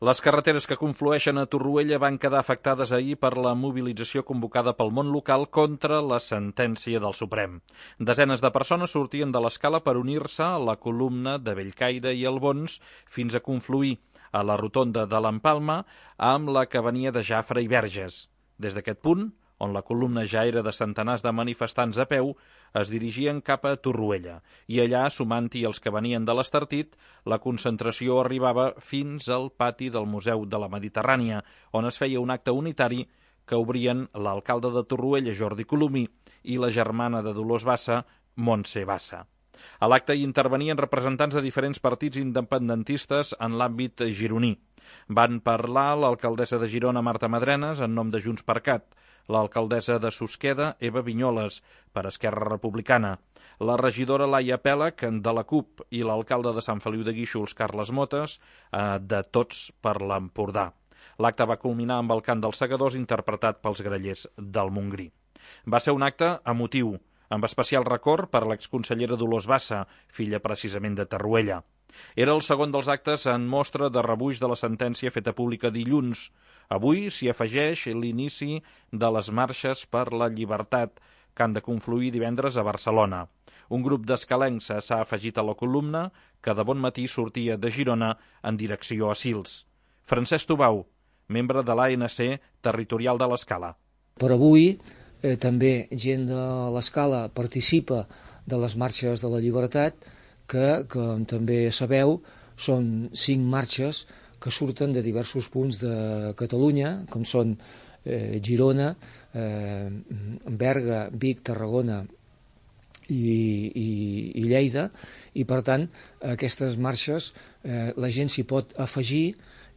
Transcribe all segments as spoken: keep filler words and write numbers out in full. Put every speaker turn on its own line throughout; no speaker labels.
Les carreteres que conflueixen a Torroella van quedar afectades ahir per la mobilització convocada pel món local contra la sentència del Suprem. Desenes de persones sortien de l'escala per unir-se a la columna de Bellcaire i Albons fins a confluir a la rotonda de l'Empalma amb la que venia de Jafre i Verges. Des d'aquest punt, on la columna ja era de centenars de manifestants a peu, es dirigien cap a Torroella, i allà, sumant-hi els que venien de l'Estartit, la concentració arribava fins al pati del Museu de la Mediterrània, on es feia un acte unitari que obrien l'alcalde de Torroella, Jordi Colomí, i la germana de Dolors Bassa, Montse Bassa. A l'acte hi intervenien representants de diferents partits independentistes en l'àmbit gironí. Van parlar l'alcaldessa de Girona, Marta Madrenas, en nom de Junts per Cat, l'alcaldessa de Susqueda, Eva Vinyoles, per Esquerra Republicana, la regidora Laia Pèlec, de la CUP, i l'alcalde de Sant Feliu de Guíxols, Carles Motes, de Tots per l'Empordà. L'acte va culminar amb el cant dels segadors interpretat pels grallers del Montgrí. Va ser un acte emotiu, amb especial record per l'exconsellera Dolors Bassa, filla precisament de Torroella. Era el segon dels actes en mostra de rebuig de la sentència feta pública dilluns. Avui s'hi afegeix l'inici de les marxes per la llibertat, que han de confluir divendres a Barcelona. Un grup d'escalencs s'ha afegit a la columna, que de bon matí sortia de Girona en direcció a Sils. Francesc Tubau, membre de l'A N C territorial de l'Escala.
Per avui eh, també gent de l'Escala participa de les marxes de la llibertat, que, com també sabeu, són cinc marxes que surten de diversos punts de Catalunya, com són eh, Girona, eh, Berga, Vic, Tarragona i, i, i Lleida, i per tant aquestes marxes eh, la gent s'hi pot afegir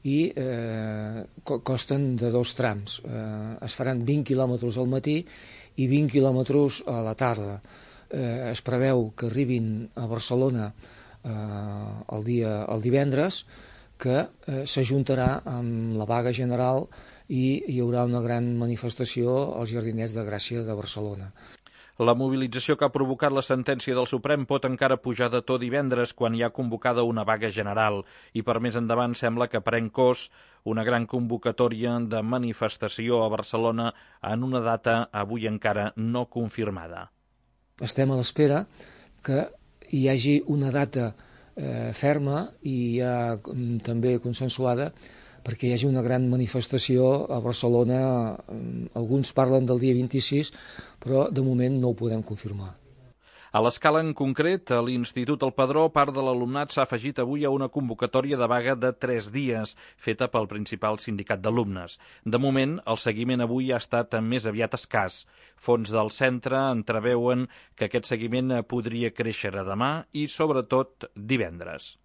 i eh, costen de dos trams. Eh, es faran vint quilòmetres al matí i vint quilòmetres a la tarda. Eh, es preveu que arribin a Barcelona eh, el, dia, el divendres, que eh, s'ajuntarà amb la vaga general i hi haurà una gran manifestació als Jardinets de Gràcia de Barcelona.
La mobilització que ha provocat la sentència del Suprem pot encara pujar de to divendres, quan hi ha convocada una vaga general, i per més endavant sembla que pren cos una gran convocatòria de manifestació a Barcelona en una data avui encara no confirmada.
Estem a l'espera que hi hagi una data eh, ferma i ja també consensuada perquè hi hagi una gran manifestació a Barcelona. Alguns parlen del dia vint-i-sis, però de moment no ho podem confirmar.
A l'Escala en concret, a l'Institut El Padró, part de l'alumnat s'ha afegit avui a una convocatòria de vaga de tres dies, feta pel principal sindicat d'alumnes. De moment, el seguiment avui ha estat més aviat escàs. Fons del centre entreveuen que aquest seguiment podria créixer a demà i, sobretot, divendres.